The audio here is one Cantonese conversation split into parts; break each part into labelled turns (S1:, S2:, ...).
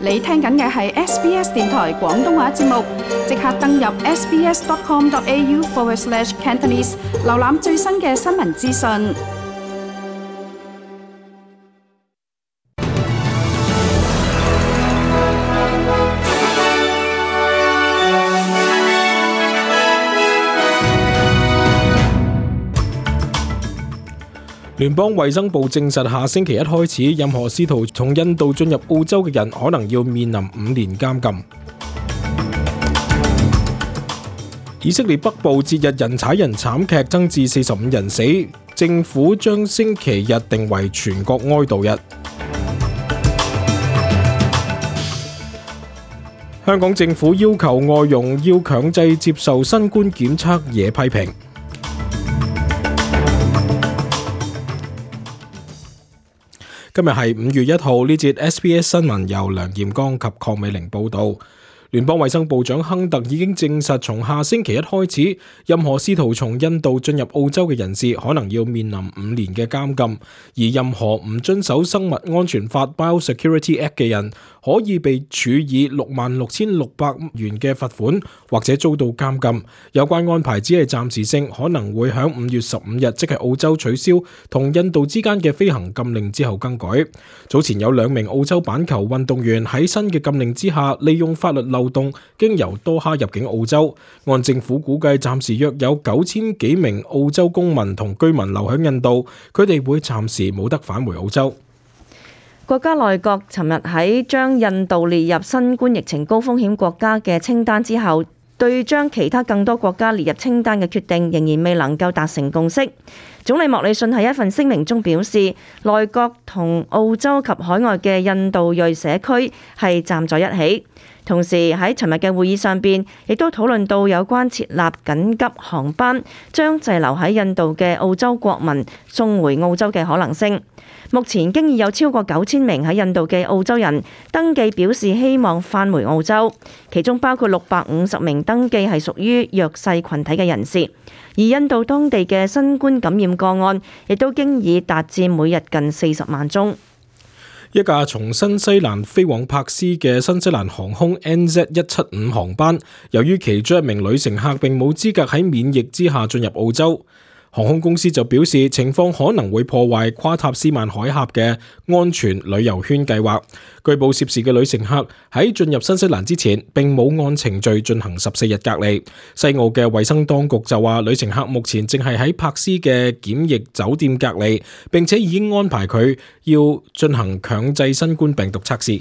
S1: 你聽緊嘅係 SBS 電台廣東話節目，即刻登入 sbs.com.au/Cantonese 瀏覽最新嘅新聞資訊。
S2: 聯邦衛生部證實，下星期一開始，任何試圖從印度進入澳洲嘅人可能要面臨5年監禁。以色列北部節日人踩人慘劇增至45人死，政府將星期日定為全國哀悼日。香港政府要求外傭要強制接受新冠檢測惹批評。今日係5月1號，呢節 SBS 新聞由梁艷剛及鄺美玲報導。聯邦衛生部長亨特已經證實，從下星期一開始，任何試圖從印度進入澳洲嘅人士可能要面臨5年嘅監禁，而任何唔遵守生物安全法 Biosecurity Act 嘅人，可以被處以66,600元嘅罰款，或者遭到監禁。有關安排只係暫時性，可能會喺5月15日，即係澳洲取消同印度之間嘅飛行禁令之後更改。早前有2名澳洲板球運動員喺新嘅禁令之下，利用法律漏洞經由多哈入境澳洲。按政府估計，暫時約有9000幾名澳洲公民同居民留喺印度，佢哋會暫時冇得返回澳洲。
S3: 國家內閣尋日喺將印度列入新冠疫情高風險國家嘅清單之後，對將其他更多國家列入清單嘅決定仍然未能夠達成共識。總理莫里遜喺一份聲明中表示，內閣同澳洲及海外嘅印度裔社區係站在一起。同時喺尋日嘅會議上邊，亦都討論到有關設立緊急航班，將滯留喺印度嘅澳洲國民送回澳洲嘅可能性。目前經已有超過9000名喺印度嘅澳洲人登記表示希望返回澳洲，其中包括650名登記係屬於弱勢群體嘅人士。而印度當地嘅新冠感染個案亦都經已達至每日近40萬宗。
S2: 一架從新西蘭飛往柏斯嘅新西蘭航空 NZ175 航班，由於其中一名女乘客並冇資格喺免疫之下進入澳洲，航空公司就表示情況可能會破壞跨塔斯曼海峽嘅安全旅遊圈計劃。據報涉事嘅女乘客喺進入新西蘭之前並冇按程序進行14日隔離。西澳嘅衛生當局就話，女乘客目前正係喺柏斯嘅檢疫酒店隔離，並且已經安排佢要進行強制新冠病毒測試。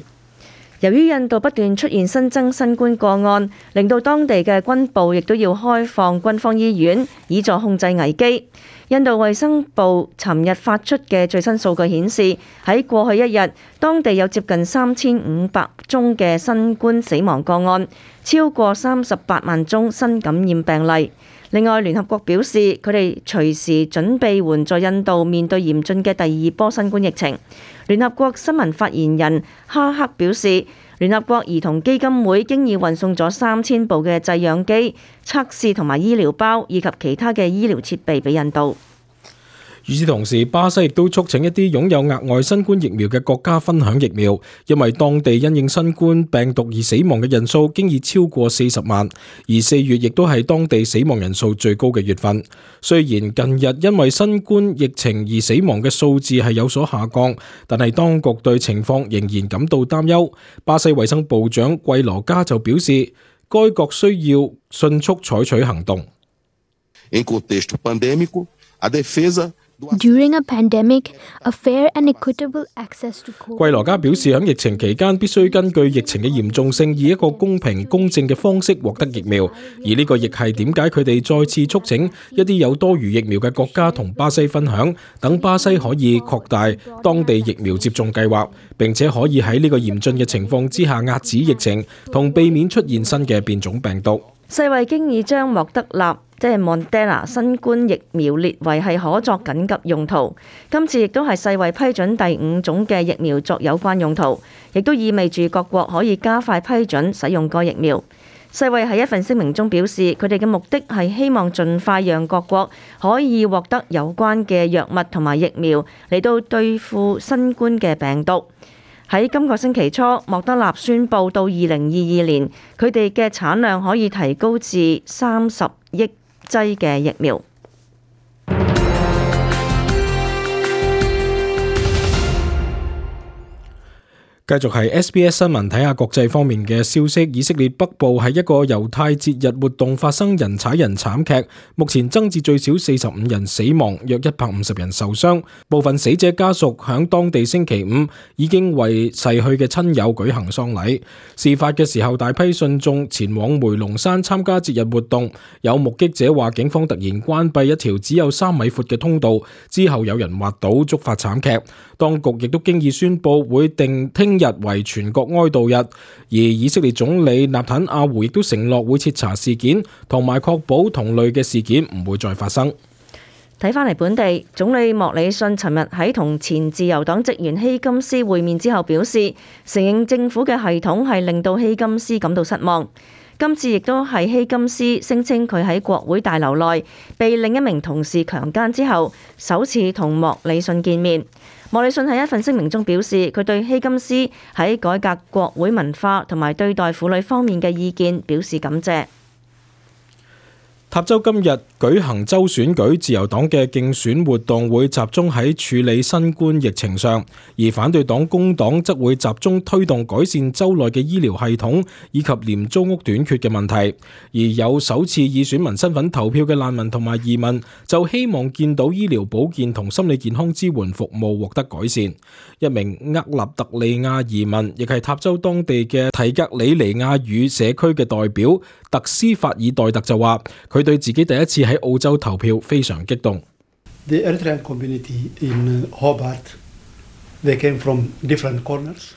S3: 由於印度不斷出現新增新冠個案，令到當地嘅軍部亦都要開放軍方醫院，以助控制危機。印度衛生部尋日發出嘅最新數據顯示，喺過去一日，當地有接近3500宗嘅新冠死亡個案，超過38萬宗新感染病例。另外，聯合國表示，佢哋隨時準備援助印度面對嚴峻嘅第2波新冠疫情。聯合國新聞發言人哈克表示，聯合國兒童基金會經已運送咗3000部嘅製氧機、測試同埋醫療包以及其他嘅醫療設備俾印度。
S2: 與此同時，巴西亦都促請一啲擁有額外新冠疫苗嘅國家分享疫苗，因為當地因應新冠病毒而死亡嘅人數經已超過40萬，而4月亦都係當地死亡人數最高嘅月份。雖然近日因為新冠疫情而死亡嘅數字係有所下降，但係當局對情況仍然感到擔憂。巴西衛生部長季羅加就表示，該國需要迅速採取行動。
S4: During a pandemic, a fair and equitable access to COVID-19。
S2: 季羅加表示，喺疫情期間必須根據疫情嘅嚴重性，以一個公平公正嘅方式獲得疫苗。而呢個亦係點解佢哋再次促請一啲有多餘疫苗嘅國家同巴西分享，等巴西可以擴大當地疫苗接種計劃，並且可以喺呢個嚴峻嘅情況之下遏止疫情，同避免出現新嘅變種病毒。
S3: 世衛經已將莫德納Moderna 新冠疫苗列為係可作緊急用途。今次亦都係世衛批准第5種嘅疫苗作有關用途，亦都意味住各國可以加快批准使用該疫苗。世衛喺一份聲明中表示，佢哋嘅目的係希望盡快讓各國可以獲得有關嘅藥物同埋疫苗嚟到對付新冠嘅病毒。喺今個星期初，莫德納宣布到2022年，佢哋嘅產量可以提高至30億劑嘅疫苗。
S2: 繼續係 SBS 新聞，睇下國際方面嘅消息。以色列北部喺一個猶太節日活動發生人踩人慘劇，目前增至最少45人死亡，約150人受傷。部分死者家屬響當地星期五已經為逝去嘅親友舉行喪禮。事發嘅時候，大批信眾前往梅隆山參加節日活動。有目擊者話，警方突然關閉一條只有3米闊嘅通道，之後有人滑倒，觸發慘劇。當局亦都經已宣布會定聽日為全國哀悼日，而以色列總理納坦亞胡亦都承諾會徹查事件，同埋確保同類嘅事件唔會再發生。
S3: 睇返嚟本地，總理莫里遜尋日喺同前自由黨職員希金斯會面之後表示，承認政府嘅系統係令到希金斯感到失望。今次亦都係希金斯聲稱佢喺國會大樓內被另一名同事強姦之後，首次同莫里遜見面。莫里遜喺一份聲明中表示，佢對希金斯喺改革國會文化同埋對待婦女方面嘅意見表示感謝。
S2: 塔州今日舉行州選舉，自由黨嘅競選活動會集中喺處理新冠疫情上，而反對黨工黨則會集中推動改善州內嘅醫療系統以及廉租屋短缺嘅問題。而有首次以選民身份投票嘅難民同埋移民就希望見到醫療保健同心理健康支援服務獲得改善。一名厄立特利亞移民，亦係塔州當地嘅提格里尼亞語社區嘅代表特斯法爾代特就話，佢對自己第一次喺澳洲投票非常激動。
S5: The Eritrean community in Hobart, they came from different corners.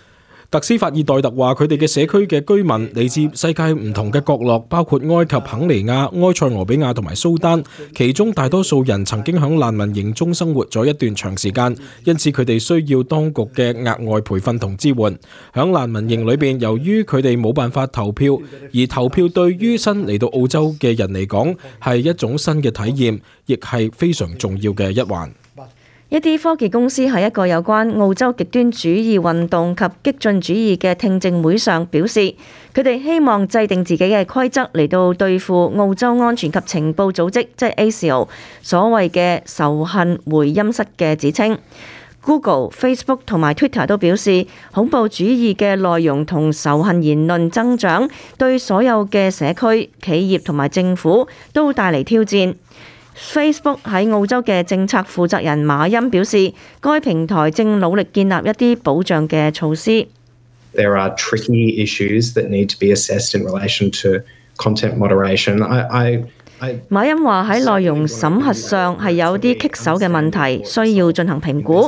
S2: 特斯法爾代特話，佢哋嘅社區嘅居民嚟自世界唔同嘅角落，包括埃及、肯尼亞、埃塞俄比亞同埋蘇丹，其中大多數人曾經響難民營中生活咗一段長時間，因此佢哋需要當局嘅額外培訓同支援。響難民營裏邊，由於佢哋冇辦法投票，而投票對於新嚟到澳洲嘅人嚟講係一種新嘅體驗，亦係非常重要嘅一環。
S3: 一啲科技公司喺一個有關澳洲極端主義運動及激進主義嘅聽證會上表示，佢哋希望制定自己嘅規則嚟到對付澳洲安全及情報組織，即係 ASIO 所謂嘅仇恨回音室嘅指稱。Google、Facebook 同埋 Twitter 都表示，恐怖主義嘅內容同仇恨言論增長，對所有嘅社區、企業同埋政府都帶嚟挑戰。Facebook 喺澳洲嘅政策負責人馬恩表示，該平台正努力建立一啲保障嘅措施。
S6: There are tricky issues that need to be assessed in relation to content moderation.
S3: 馬恩話喺內容審核上係有啲棘手嘅問題，需要進行評估。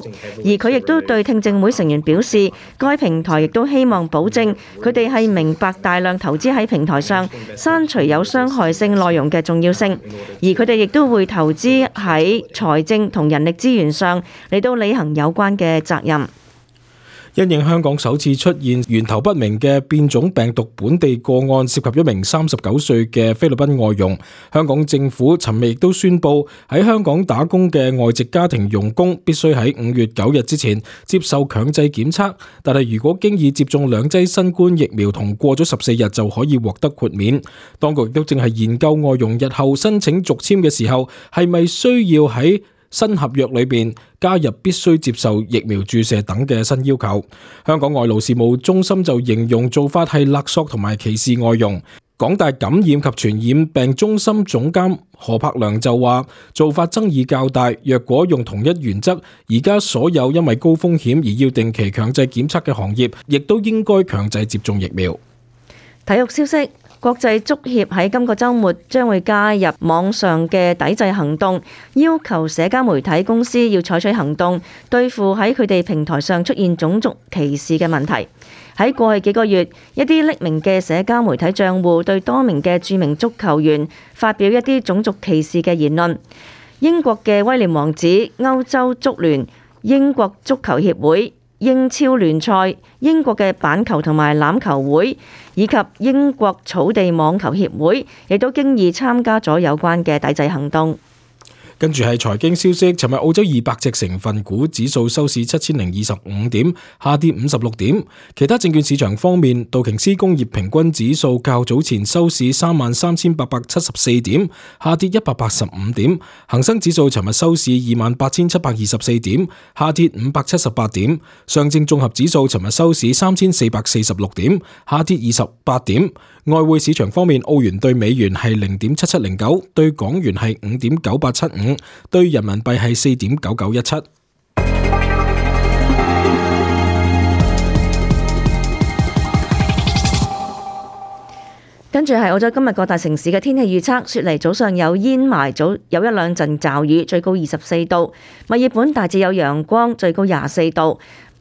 S3: 而佢亦都對聽證會成員表示，該平台亦都希望保證佢哋係明白大量投資喺平台上刪除有傷害性內容嘅重要性，而佢哋亦都會投資喺財政同人力資源上嚟到履行有關嘅責任。
S2: 因應香港首次出現源頭不明嘅變種病毒本地個案，涉及一名39歲嘅菲律賓外傭，香港政府尋日亦都宣布，喺香港打工嘅外籍家庭傭工必須喺5月9日之前接受強制檢測，但係如果經已接種2劑新冠疫苗同過咗14日就可以獲得豁免。當局亦都正係研究外傭日後申請續簽嘅時候，係咪需要喺新合約裏邊加入必須接受疫苗注射等嘅新要求。香港外勞事務中心就形容做法係勒索同埋歧視外傭。港大感染及傳染病中心總監何柏良就話，做法爭議較大，若果用同一原則，而家所有因為高風險而要定期強制檢測嘅行業，亦都應該強制接種疫苗。
S3: 體育消息。國際足協喺今個週末將會加入網上嘅抵制行動，要求社交媒體公司要採取行動，對付喺佢哋平台上出現種族歧視嘅問題。喺過去幾個月，一啲匿名嘅社交媒體帳戶對多名嘅著名足球員發表一啲種族歧視嘅言論。英國嘅威廉王子、歐洲足聯、英國足球協會、英超聯賽、英國嘅板球同埋欖球會以及英國草地網球協會亦都經已參加咗有關嘅抵制行動。
S2: 跟住係財經消息，尋日澳洲200隻成分股指數收市7025點，下跌56點。其他證券市場方面，道瓊斯工業平均指數較早前收市33874點，下跌185點。恒生指數尋日收市28724點，下跌578點。上證綜合指數尋日收市3446點，下跌28點。外匯市場方面，澳元對美元係0.7709，對港元係5.9875，對人民幣係4.9917。
S3: 跟住係澳洲今日各大城市嘅天氣預測。雪梨早上有煙霾，早有一兩陣驟雨，最高24度。墨爾本大致有陽光，最高24度。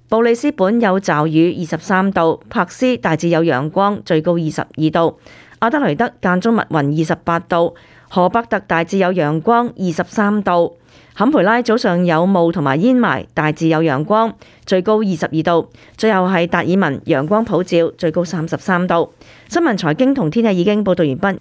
S3: 布里斯本有驟雨，23度；珀斯大致有陽光，最高22度；阿德雷德間中密雲，28度；荷伯特大致有陽光，23度；坎培拉早上有霧同埋煙霾，大致有陽光，最高22度；最後係達爾文陽光普照，最高33度。新聞財經同天氣已經報道完畢。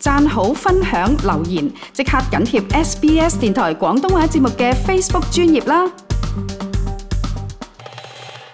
S1: 讚好、分享、留言，即刻緊貼SBS 電台廣東話節目嘅 Facebook 專頁啦！